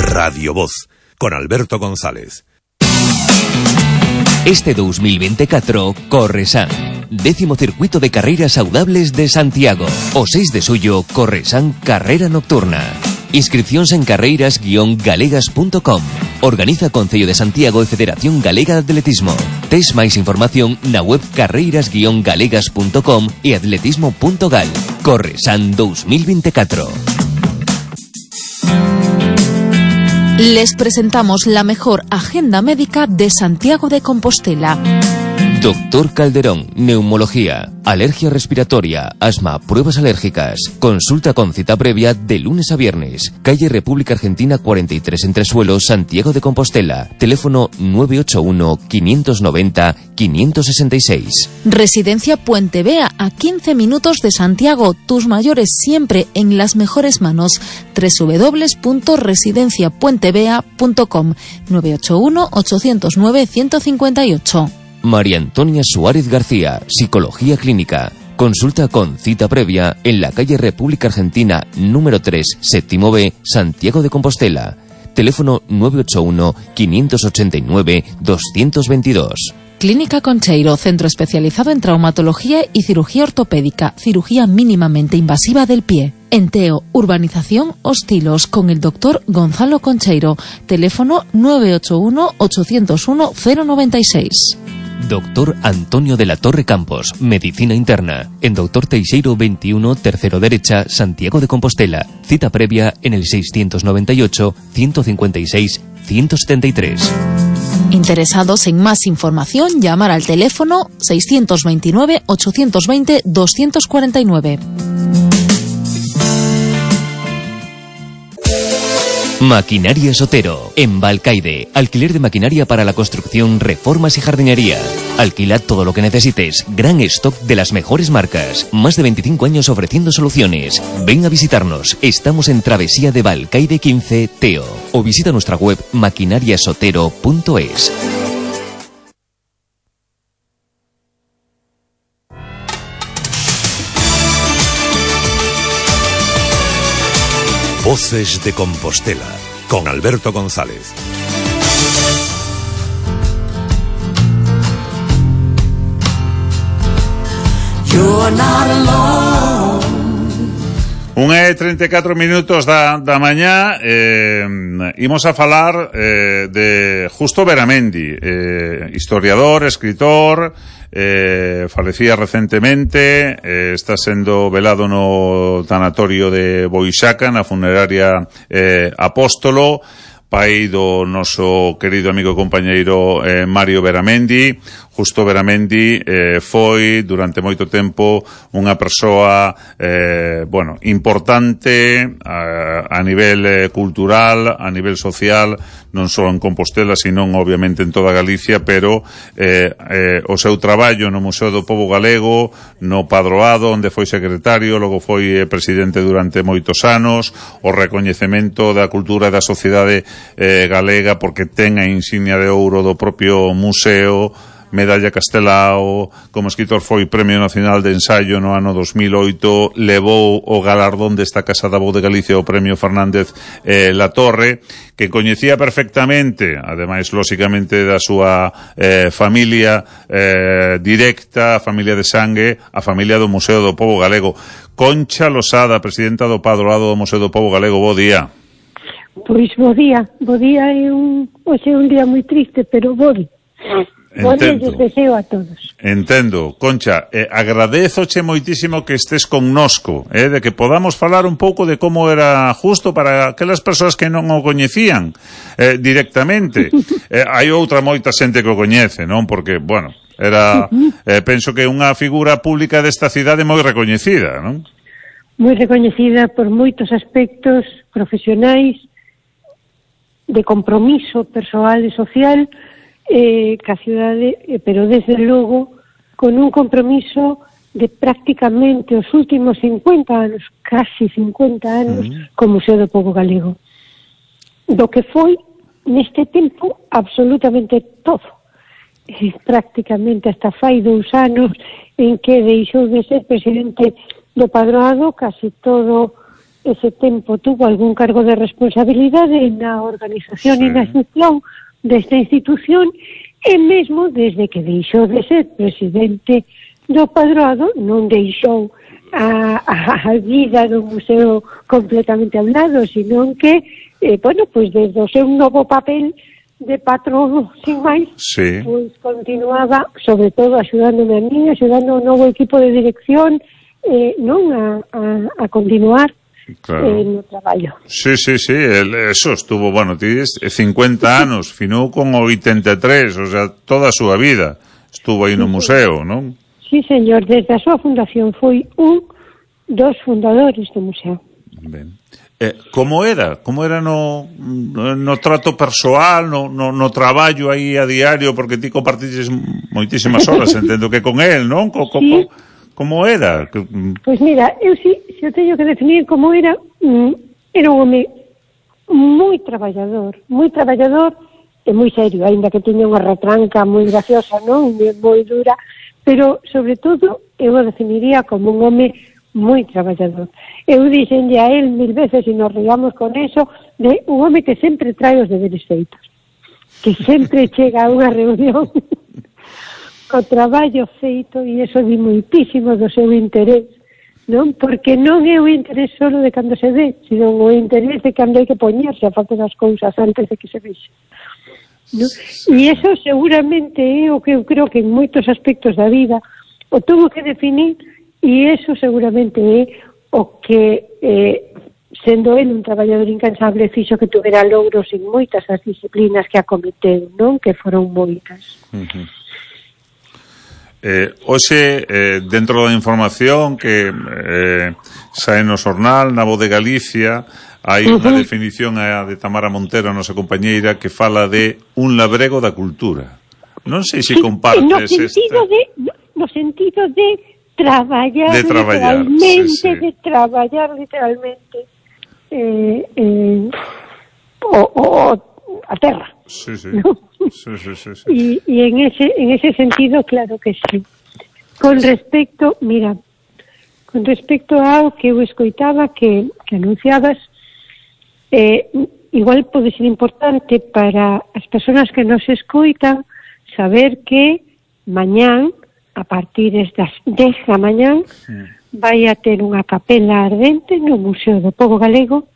Radio Voz, con Alberto González. Este 2024 Corresan, 10º circuito de carreiras saudables de Santiago. O 6 de xullo, Corresan Carrera Nocturna. Inscripcións en carreiras-galegas.com. Organiza Concello de Santiago e Federación Galega de Atletismo. Tes máis información na web carreiras-galegas.com e atletismo.gal. Corresan 2024. Les presentamos la mejor agenda médica de Santiago de Compostela. Doctor Calderón, neumología, alergia respiratoria, asma, pruebas alérgicas. Consulta con cita previa de lunes a viernes. Calle República Argentina 43 Entresuelos, Santiago de Compostela. Teléfono 981-590-566. Residencia Puente Vea, a 15 minutos de Santiago. Tus mayores siempre en las mejores manos. www.residenciapuentevea.com 981-809-158. María Antonia Suárez García, Psicología Clínica. Consulta con cita previa en la calle República Argentina número 3, séptimo B, Santiago de Compostela. Teléfono 981-589-222. Clínica Concheiro, centro especializado en traumatología y cirugía ortopédica, cirugía mínimamente invasiva del pie. Enteo, urbanización Hostilos, con el doctor Gonzalo Concheiro. Teléfono 981-801-096. Doctor Antonio de la Torre Campos, Medicina Interna, en Doctor Teixeiro 21, tercero derecha, Santiago de Compostela. Cita previa en el 698-156-173. Interesados en más información, llamar al teléfono 629-820-249. Maquinaria Sotero, en Balcaide. Alquiler de maquinaria para la construcción, reformas y jardinería. Alquila todo lo que necesites. Gran stock de las mejores marcas. Más de 25 años ofreciendo soluciones. Ven a visitarnos. Estamos en Travesía de Balcaide 15, Teo. O visita nuestra web maquinariasotero.es. Voces de Compostela, con Alberto González. You're not alone. 1:34 minutos da mañá. Imos a falar de Justo Beramendi, historiador, escritor, falecía recentemente, está sendo velado no tanatorio de Boixaca, na funeraria Apóstolo, pai do noso querido amigo e compañeiro Mario Beramendi. Justo Beramendi foi durante moito tempo unha persoa importante a nivel cultural, a nivel social, non só en Compostela, sino obviamente en toda Galicia, pero o seu traballo no Museo do Pobo Galego, no Padroado, onde foi secretario, logo foi presidente durante moitos anos, o recoñecemento da cultura e da sociedade galega porque ten a insignia de ouro do propio museo, Medalla Castelao, como escritor foi Premio Nacional de Ensaio no ano 2008, levou o galardón desta Casa da Voz de Galicia o Premio Fernández Latorre, que coñecía perfectamente, ademais, lóxicamente, da súa familia directa, a familia de sangue, a familia do Museo do Pobo Galego. Concha Losada, presidenta do Padroado do Museo do Pobo Galego, bo día. Pois bo día hoxe é un día moi triste, pero bo día. Entendo. Deseo a todos. Entendo. Concha, agradézoche moitísimo que estés connosco, de que podamos falar un pouco de como era Justo para aquelas persoas que non o coñecían directamente. Hai outra moita xente que o coñece, non? Porque, bueno, era, penso que unha figura pública desta cidade moi recoñecida, non? Moi recoñecida por moitos aspectos profesionais, de compromiso persoal e social, ca cidade, pero desde logo con un compromiso de prácticamente os últimos 50 anos, casi 50 anos, co Museo do Pobo Galego, do que foi neste tempo absolutamente todo, prácticamente hasta fai 2 anos en que deixou de ser presidente do Padroado. Casi todo ese tempo tuvo algún cargo de responsabilidade na organización e na gestión desta institución, e mesmo desde que deixou de ser presidente do Padroado non deixou a vida do museo completamente a un lado, sino que pois desde o seu novo papel de patrono sin máis, pois continuaba sobre todo axudándome a mí, axudando ao novo equipo de dirección, non a continuar. Claro. No traballo. Sí, eso estuvo, tienes 50 anos, finou con 83, o sea, toda a súa vida estuvo aí no museo, non? Sí, señor, desde a súa fundación foi un dos fundadores do museo. Ben. Como era no trato persoal, no traballo aí a diario, porque ti compartiches moitísimas horas, entendo que con él, non? Sí. Como era? Pois mira, eu se eu teño que definir como era un home moi traballador e moi serio, aínda que tiña unha retranca moi graciosa, non? Moi dura, pero sobre todo eu o definiría como un home moi traballador. Eu dixenlle a él 1000 veces, e nos riamos con eso, de un home que sempre trae os deberes feitos, que sempre chega a unha reunión o traballo feito, e iso di moitísimo do seu interés, non? Porque non é o interés solo de cando se ve, sino o interés de cando hai que poñerse a facer as cousas antes de que se vexe, non? E iso seguramente é o que eu creo que en moitos aspectos da vida o tuvo que definir, e iso seguramente é o que sendo el un traballador incansable fixo que tuvera logros en moitas das disciplinas que acometeu, non? Que foron moitas. Hoxe, dentro da información que sae no xornal, na Voz de Galicia, hai unha definición de Tamara Montero, a nosa compañeira, que fala de un labrego da cultura. Non sei se compartes no sentido de traballar literalmente, de traballar literalmente a terra. Sí. ¿No? Sí. Y en ese sentido, claro que sí. Con respecto ao que eu escoitaba que anunciabas, igual pode ser importante para as persoas que nos escoitan saber que mañán a partir das 10 da mañán, vai a ter unha capela ardente no Museo do Pobo Galego,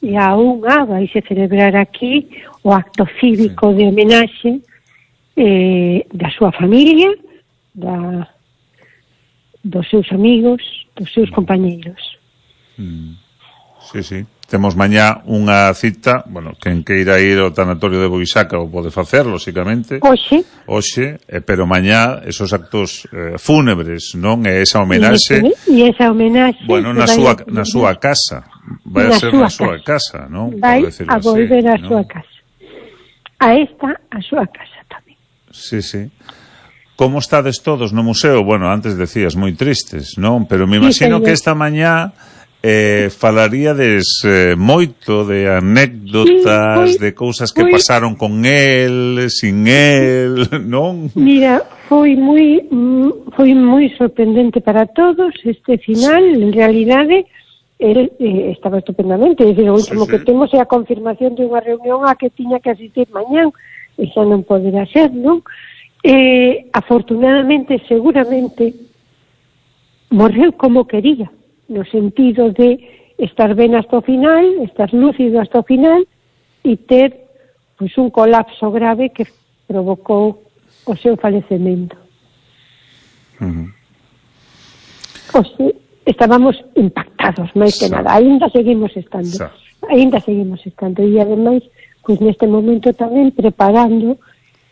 e a unha vai se celebrar aquí o acto cívico de homenaxe da súa familia, dos seus amigos, dos seus compañeiros. Sí. Temos mañá unha cita, bueno, quen queira ir ao tanatorio de Boixaca o pode facer, lóxicamente. Hoxe, pero mañá esos actos fúnebres, non? E esa homenaxe. E esa homenaxe. Bueno, na súa casa. Vai a ser na súa casa, non? Vai a volver á súa casa. A súa casa tamén. Sí. Como estades todos no museo? Bueno, antes decías moi tristes, non? Pero me imagino que esta mañá falaríades moito de anécdotas, de cousas que pasaron con él, sin él, non? Mira, foi moi sorprendente para todos este final. En realidade, él estaba estupendamente. É dicir, o último que temos é a confirmación de unha reunión a que tiña que asistir mañán, e xa non poderá ser, non? Afortunadamente, seguramente, morreu como quería, no sentido de estar ben hasta o final, estar lúcido hasta o final, e ter un colapso grave que provocou o seu falecemento. Estábamos impactados, máis que nada. Ainda seguimos estando. E ademais, neste momento tamén preparando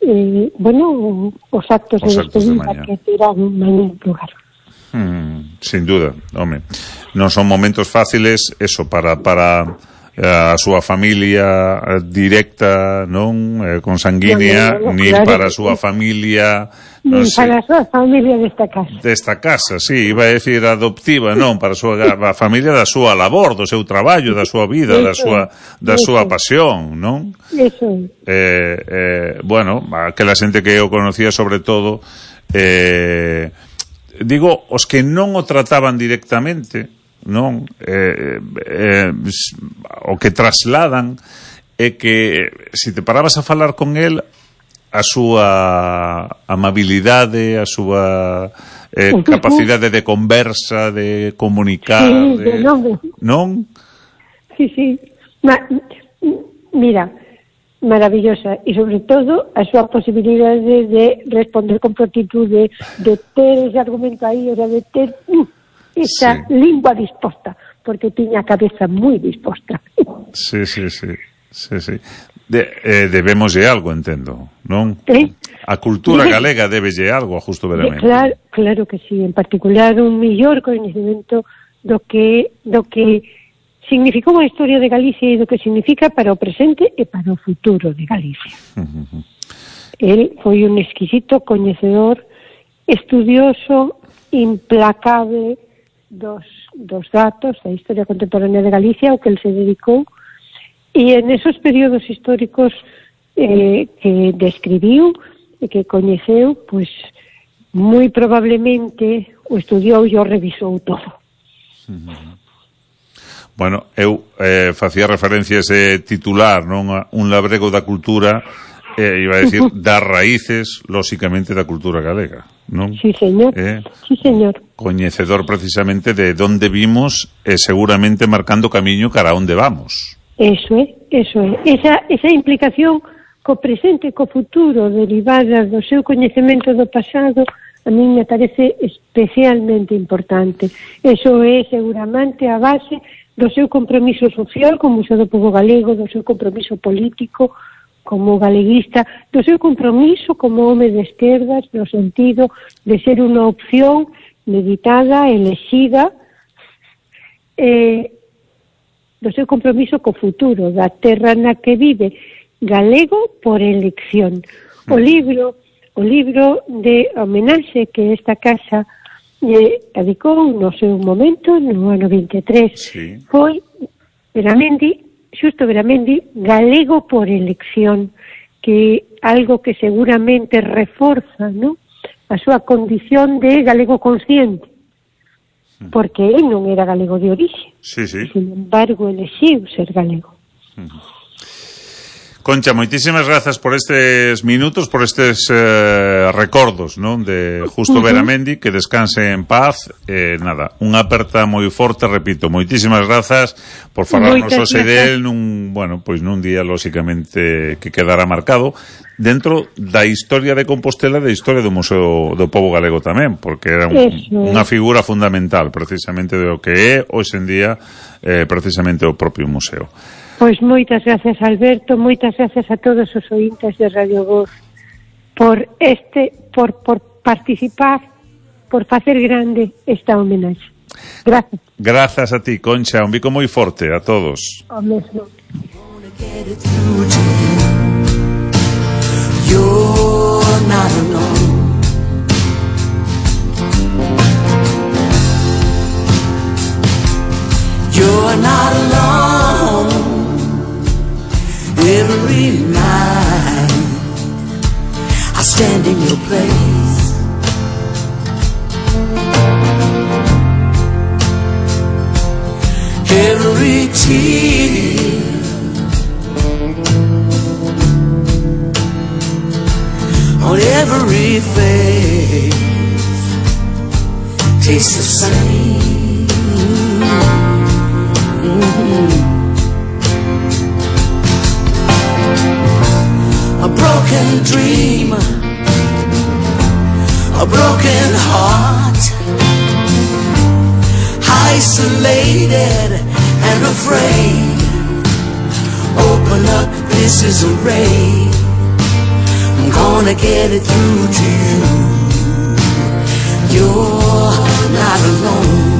os actos de despedida que terán mañá lugar. Sin duda, home. Non son momentos fáciles, eso, para a súa familia directa, non? Consanguínea, nin para a súa familia... Nin para a súa familia desta casa, sí, iba a decir adoptiva, non, para a familia da súa labor, do seu traballo, da súa vida, da súa pasión, non? Eso. Bueno, aquela xente que eu conocía sobre todo, digo, os que non o trataban directamente, non? O que trasladan é que se te parabas a falar con el, a súa amabilidade, a súa capacidade de conversa, de comunicar, non? Sí. Mira, maravillosa, e sobre todo a súa posibilidade de responder con prontitud, de ter ese argumento aí, o sea, de ter esa lingua disposta, porque tiña a cabeza moi disposta. Sí. Debémoslle algo, entendo, non? A cultura galega debelle algo a Justo Beramendi. Claro que sí, en particular un mellor coñecemento do que significou a historia de Galicia e do que significa para o presente e para o futuro de Galicia. El foi un exquisito coñecedor, estudioso, implacable dos datos da historia contemporánea de Galicia, ao que el se dedicou, e en esos períodos históricos que describiu e que coñeceu, pois moi probablemente o estudiou e o revisou todo. Bueno, eu facía referencia a ese titular, non? Un labrego da cultura, iba a decir, das raíces, lóxicamente, da cultura galega, non? Sí, señor. Sí, señor. Coñecedor precisamente de onde vimos e seguramente marcando camiño cara a onde vamos. Eso é. Esa implicación co presente e co futuro derivada do seu coñecemento do pasado, a mí me parece especialmente importante. Eso é seguramente a base do seu compromiso social como Museo do Pobo Galego, do seu compromiso político como galeguista, do seu compromiso como home de esquerdas, no sentido de ser unha opción meditada, elexida, do seu compromiso co futuro, da terra na que vive, galego por elección. O libro de homenaxe que esta casa dedicou no seu momento, no ano 23, foi Xusto Beramendi, galego por elección, que algo que seguramente reforza, ¿no?, a súa condición de galego consciente, porque ele non era galego de orixe. Sí. Sin embargo, elexiu ser galego. Concha, moitísimas grazas por estes minutos, por estes recordos, non, de Justo Beramendi, que descanse en paz. Nada, unha aperta moi forte, repito, moitísimas grazas por falarnos hoxe del nun día, lóxicamente, que quedará marcado dentro da historia de Compostela, da historia do Museo do Pobo Galego tamén, porque era unha figura fundamental, precisamente, do que é, hoxe en día, precisamente o propio museo. Pois moitas gracias, Alberto, moitas gracias a todos os ointes de Radio Voz por participar, por facer grande esta homenaxe. Gracias. Grazas a ti, Concha, un bico moi forte a todos. O mesmo. You're not alone. You're not alone. Every night I stand in your place. Every tear on every face tastes the same. A broken dream, a broken heart, isolated and afraid. Open up, this is a ray. I'm gonna get it through to you. You're not alone.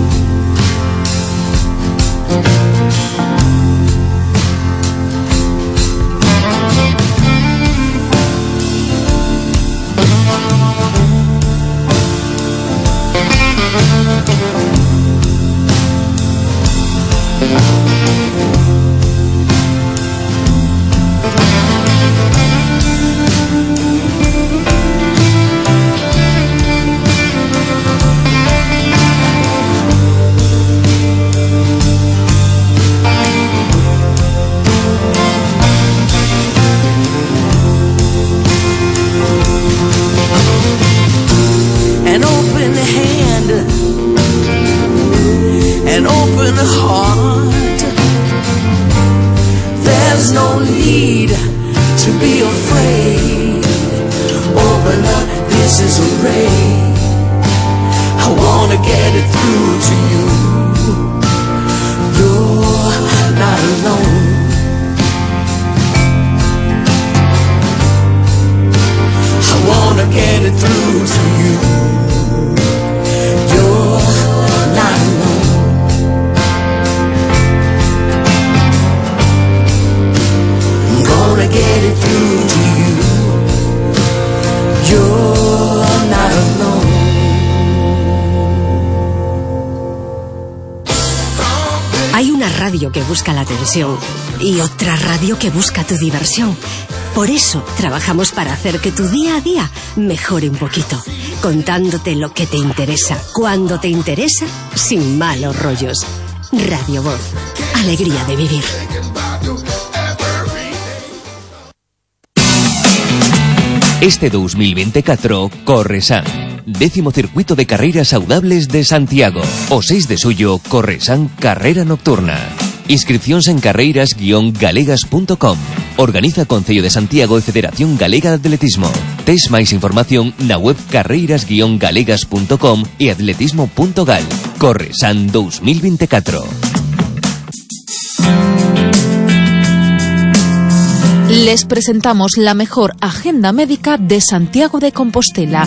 An open heart. There's no need to be afraid. Open up, this is a ray. I wanna get it through to you. You're not alone. I wanna get it through to you. You're not alone. Gonna get it through to you. You're not alone. Hay una radio que busca la atención y otra radio que busca tu diversión. Por eso trabajamos para hacer que tu día a día mejore un poquito, contándote lo que te interesa, cuando te interesa, sin malos rollos. Radio Voz, alegría de vivir. Este 2024, Corresan, 10º circuito de carreiras saudables de Santiago. O 6 de suyo, Corresan Carrera Nocturna. Inscripcións en carreiras-galegas.com. Organiza Concello de Santiago e Federación Galega de Atletismo. Tes máis información na web carreiras-galegas.com e atletismo.gal. Corresan 2024. Les presentamos la mejor agenda médica de Santiago de Compostela.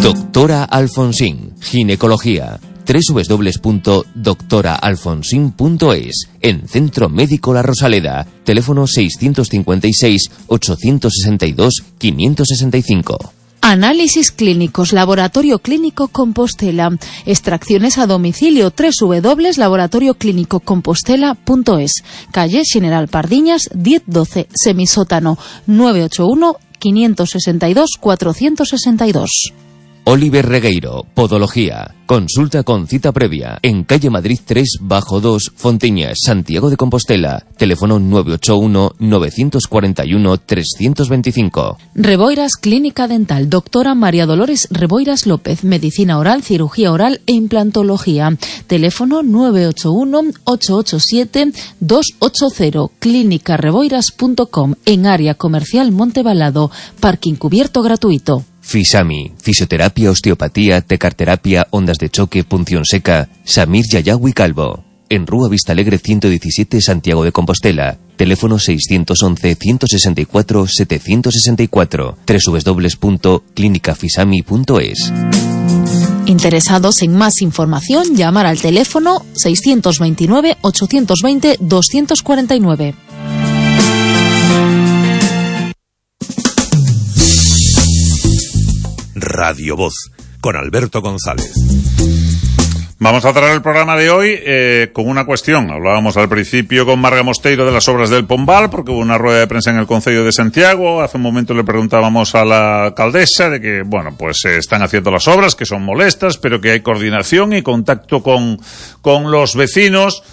Doctora Alfonsín, ginecología. www.doctoraalfonsin.es. En Centro Médico La Rosaleda. Teléfono 652-862-565. Análisis clínicos, Laboratorio Clínico Compostela. Extracciones a domicilio, www.laboratorioclinicocompostela.es. Calle General Pardiñas, 1012, semisótano, 981 562 462. Oliver Regueiro, Podología. Consulta con cita previa en calle Madrid 3-2, Fontiñas, Santiago de Compostela. Teléfono 981-941-325. Reboiras Clínica Dental. Doctora María Dolores Reboiras López. Medicina oral, cirugía oral e implantología. Teléfono 981-887-280. Clínicareboiras.com. En área comercial Montebalado. Parking cubierto gratuito. Fisami, fisioterapia, osteopatía, tecarterapia, ondas de choque, punción seca. Samir Yayawi Calvo. En Rúa Vistalegre 117, Santiago de Compostela. Teléfono 611-164-764. www.clinicafisami.es. Interesados en más información, llamar al teléfono 629-820-249. Radio Voz, con Alberto González. Vamos a cerrar el programa de hoy con una cuestión. Hablábamos al principio con Marga Mosteiro de las obras del Pombal, porque hubo una rueda de prensa en el Concello de Santiago. Hace un momento le preguntábamos a la alcaldesa de que, bueno, pues están haciendo las obras, que son molestas, pero que hay coordinación y contacto con los vecinos.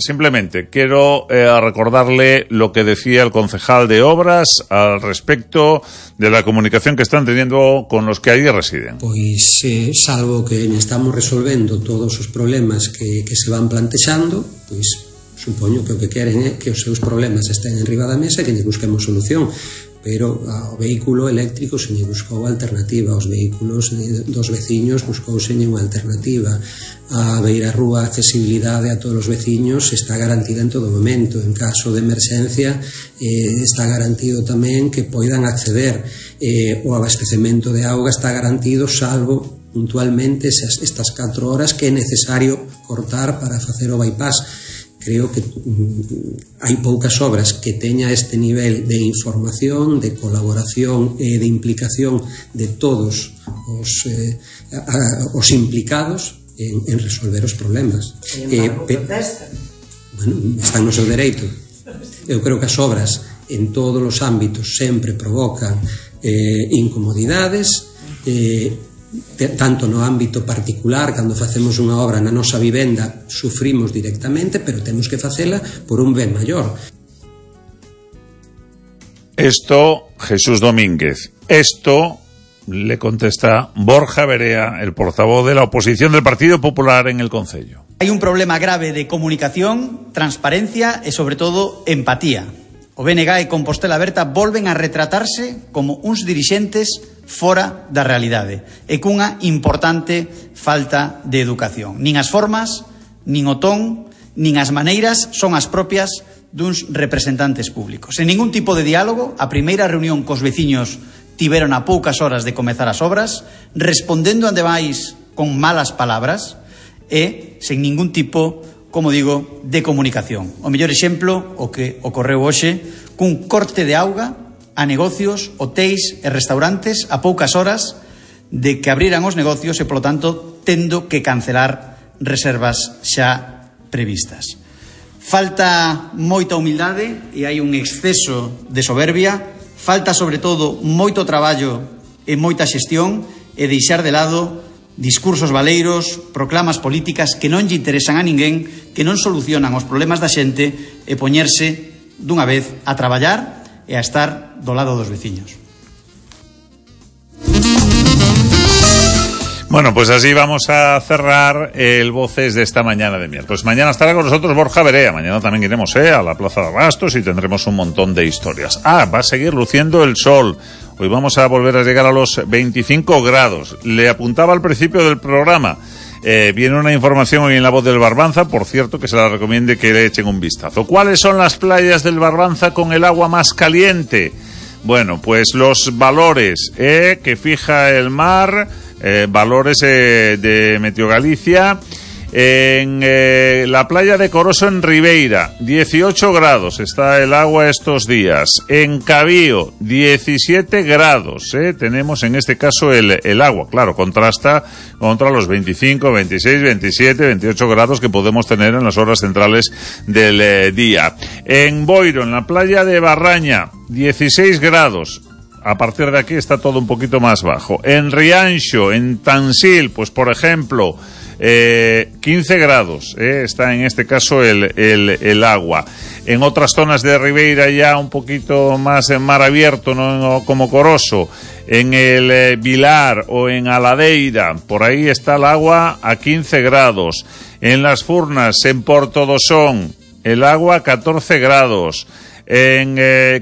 Simplemente quiero recordarle lo que decía el concejal de obras al respecto de la comunicación que están teniendo con los que allí residen. Pois, salvo que estamos resolvendo todos os problemas que se van plantexando, pois supoño que o que queren é que os seus problemas estén enriba da mesa e que lle busquemos solución. Pero ao vehículo eléctrico se lle buscou alternativa, aos vehículos dos veciños buscouse unha alternativa, a beirarrúa, a accesibilidade a todos os veciños está garantida en todo momento. En caso de emerxencia está garantido tamén que poidan acceder, o abastecemento de auga está garantido, salvo puntualmente estas 4 horas que é necesario cortar para facer o bypass. Creo que hai poucas obras que teña este nivel de información, de colaboración e de implicación de todos os implicados en resolver os problemas. Bueno, están no seu dereito. Eu creo que as obras en todos os ámbitos sempre provocan incomodidades, tanto no ámbito particular, cando facemos unha obra na nosa vivenda sufrimos directamente, pero temos que facela por un ben maior. Esto, Jesús Domínguez. Esto le contesta Borja Verea, el portavoz de la oposición del Partido Popular en el Concello. Hay un problema grave de comunicación, transparencia e, sobre todo, empatía. O BNG e Compostela Aberta volven a retratarse como uns dirixentes fora da realidade e cunha importante falta de educación. Nin as formas, nin o ton, nin as maneiras son as propias duns representantes públicos. En ningún tipo de diálogo, a primeira reunión cos veciños tiveron a poucas horas de comezar as obras, respondendo ademais con malas palabras e sen ningún tipo, como digo, de comunicación. O mellor exemplo, o que ocorreu hoxe, cun corte de auga a negocios, hotéis e restaurantes a poucas horas de que abriran os negocios e, polo tanto, tendo que cancelar reservas xa previstas. Falta moita humildade e hai un exceso de soberbia, falta, sobre todo, moito traballo e moita xestión e deixar de lado discursos baleiros, proclamas políticas que non lle interesan a ninguén, que non solucionan os problemas da xente e poñerse dunha vez a traballar e a estar do lado dos veciños. Bueno, pues así vamos a cerrar el Voces de esta mañana de miércoles. Mañana estará con nosotros Borja Verea. Mañana también iremos a la Plaza de Abastos y tendremos un montón de historias. Va a seguir luciendo el sol. Hoy vamos a volver a llegar a los 25 grados. Le apuntaba al principio del programa. Viene una información hoy en La Voz del Barbanza, por cierto, que se la recomiende que le echen un vistazo. ¿Cuáles son las playas del Barbanza con el agua más caliente? Bueno, pues los valores que fija el mar, valores de Meteo Galicia. En la playa de Coroso en Ribeira, 18 grados está el agua estos días. En Cabío, 17 grados. Tenemos en este caso el agua. Claro, contrasta contra los 25, 26, 27, 28 grados que podemos tener en las horas centrales del día. En Boiro, en la playa de Barraña, 16 grados. A partir de aquí está todo un poquito más bajo. En Rianxo, en Tansil, pues por ejemplo, 15 grados, está en este caso el agua. En otras zonas de Ribeira ya un poquito más en mar abierto, no como Coroso. En el Vilar o en Aladeira, por ahí está el agua a 15 grados. En Las Furnas, en Portodosón, el agua a 14 grados. En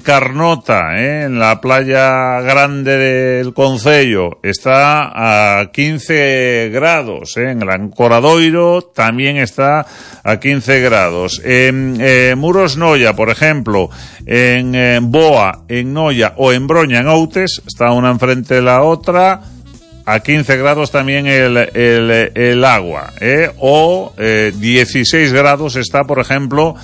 Carnota, en la playa grande del Concello, está a 15 grados. En Gran Coradoiro también está a 15 grados. En Muros Noia, por ejemplo, en Boa, en Noia o en Broña, en Outes, está una enfrente de la otra, a 15 grados también el agua, o 16 grados está, por ejemplo,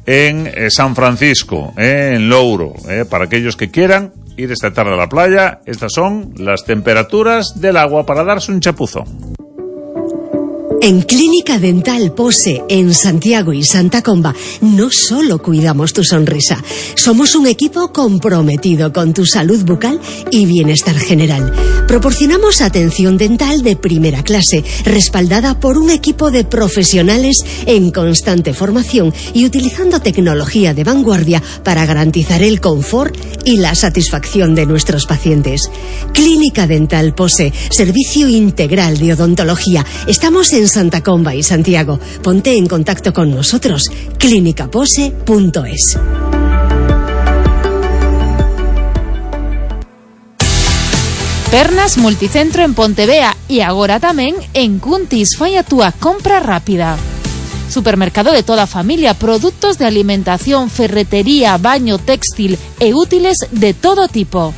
en San Francisco, en Louro, para aquellos que quieran ir esta tarde a la playa. Estas son las temperaturas del agua para darse un chapuzón. En Clínica Dental Pose, en Santiago y Santa Comba, no solo cuidamos tu sonrisa, somos un equipo comprometido con tu salud bucal y bienestar general. Proporcionamos atención dental de primera clase, respaldada por un equipo de profesionales en constante formación y utilizando tecnología de vanguardia para garantizar el confort y la satisfacción de nuestros pacientes. Clínica Dental Pose, servicio integral de odontología. Estamos en Santa Comba y Santiago. Ponte en contacto con nosotros. clinicapose.es. Pernas Multicentro en Pontevea y agora tamén en Cuntis. Fai a túa compra rápida. Supermercado de toda familia, productos de alimentación, ferretería, baño, textil e útiles de todo tipo.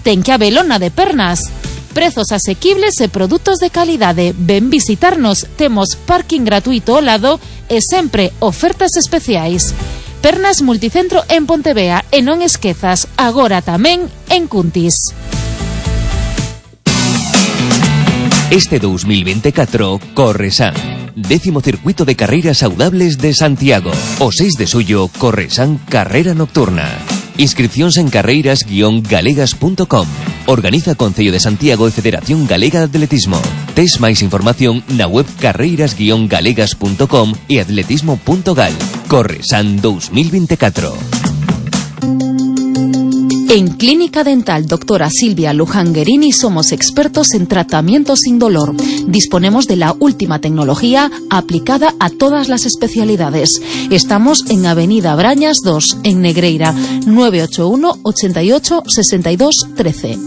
Ten que abelona de Pernas. Prezos asequibles e produtos de calidade. Ven visitarnos, temos parking gratuito ao lado e sempre ofertas especiais. Pernas Multicentro en Pontevea e non esquezas, agora tamén en Cuntis. Este 2024, Corresan. 10º circuito de carreiras saudables de Santiago. O 6 de suyo, Corresan Carrera Nocturna. Inscripcións en carreiras-galegas.com. Organiza Concello de Santiago e Federación Galega de Atletismo. Tes máis información na web carreiras-galegas.com e atletismo.gal. Corresan 2024. En Clínica Dental Doctora Silvia Lujanguerini somos expertos en tratamiento sin dolor. Disponemos de la última tecnología aplicada a todas las especialidades. Estamos en Avenida Brañas 2, en Negreira, 981 88 62 13.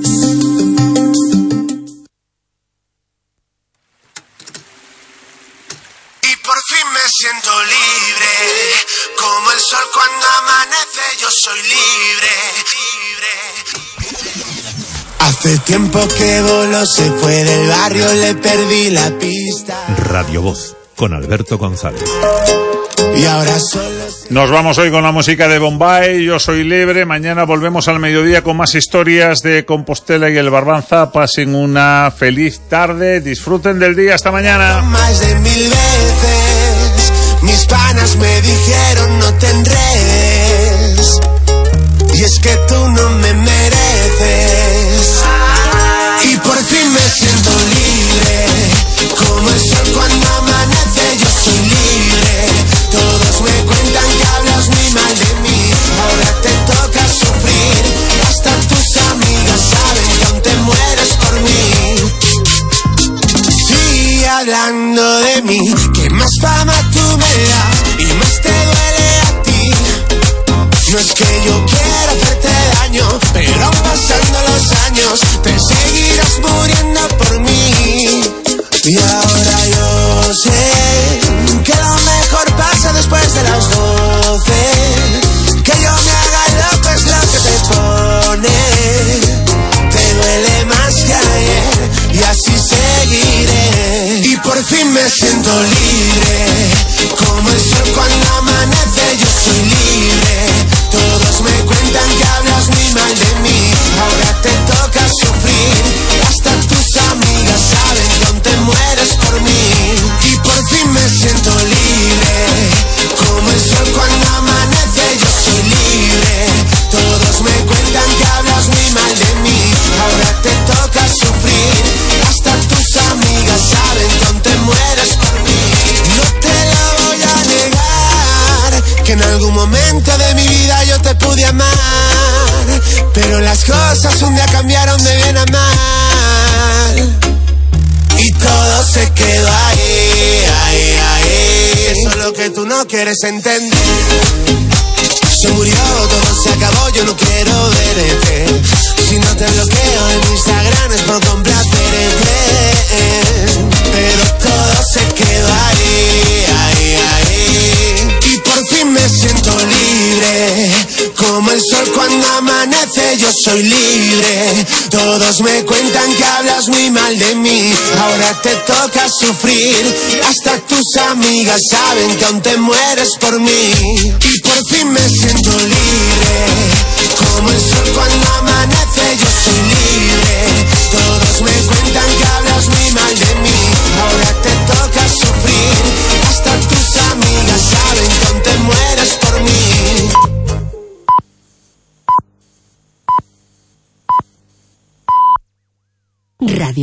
Siento libre, como el sol cuando amanece, yo soy libre, libre. Hace tiempo que voló, se fue del barrio, le perdí la pista. Radio Voz, con Alberto González. Y ahora solo... Nos vamos hoy con la música de Bombay, Yo soy libre. Mañana volvemos al mediodía con más historias de Compostela y el Barbanza. Pasen una feliz tarde, disfruten del día, hasta mañana. Más de 1000 veces mis panas me dijeron no te enredes, y es que tú no me mereces. Y por fin me siento libre, como el sol cuando amanece, yo soy libre. Todos me cuentan que hablas muy mal de mí, ahora te toca sufrir. Hasta tus amigas saben que aún te mueres por mí. Sigue hablando de mí, que más fama tú me das y más te duele a ti. No es que yo quiera hacerte daño, pero pasando los años te seguirás muriendo por mí. Y ahora yo sé que lo mejor pasa después de las 12. Que yo me haga loco es lo que te pone. Te duele más que ayer y así seguiré. Y por fin me siento libre, como el sol cuando amanece, yo soy libre. Todo cosas un día cambiaron de bien a mal y todo se quedó ahí, ahí, ahí. Eso es lo que tú no quieres entender. Se murió, todo se acabó, yo no quiero verte. Si no te bloqueo en Instagram es por complacerte. Pero todo se quedó ahí, ahí, ahí. Y por fin me siento libre, como el sol cuando amanece, yo soy libre. Todos me cuentan que hablas muy mal de mí, ahora te toca sufrir. Hasta tus amigas saben que aún te mueres por mí. Y por fin me siento libre, como el sol cuando amanece, yo soy libre. Todos me cuentan